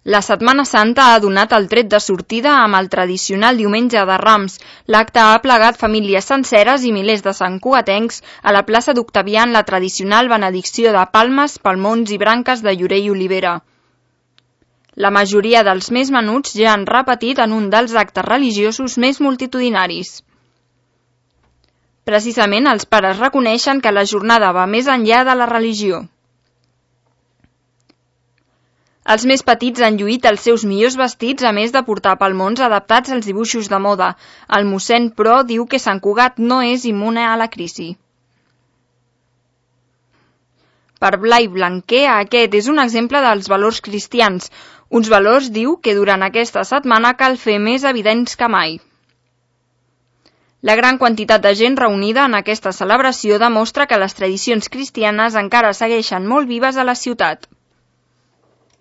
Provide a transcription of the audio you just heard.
La Setmana Santa ha donat el tret de sortida amb el tradicional diumenge de Rams. L'acte ha plegat famílies senceres i milers de santcugatencs a la plaça d'Octavià en la tradicional benedicció de palmes, palmons i branques de llorer i olivera. La majoria dels més menuts ja han repetit en un dels actes religiosos més multitudinaris. Precisament els pares reconeixen que la jornada va més enllà de la religió. Els més petits han lluït els seus millors vestits a més de portar palmons adaptats als dibuixos de moda. El mossèn, però, diu que Sant Cugat no és immune a la crisi. Per Blai Blanquer, aquest és un exemple dels valors cristians. Uns valors, diu, que durant aquesta setmana cal fer més evidents que mai. La gran quantitat de gent reunida en aquesta celebració demostra que les tradicions cristianes encara segueixen molt vives a la ciutat.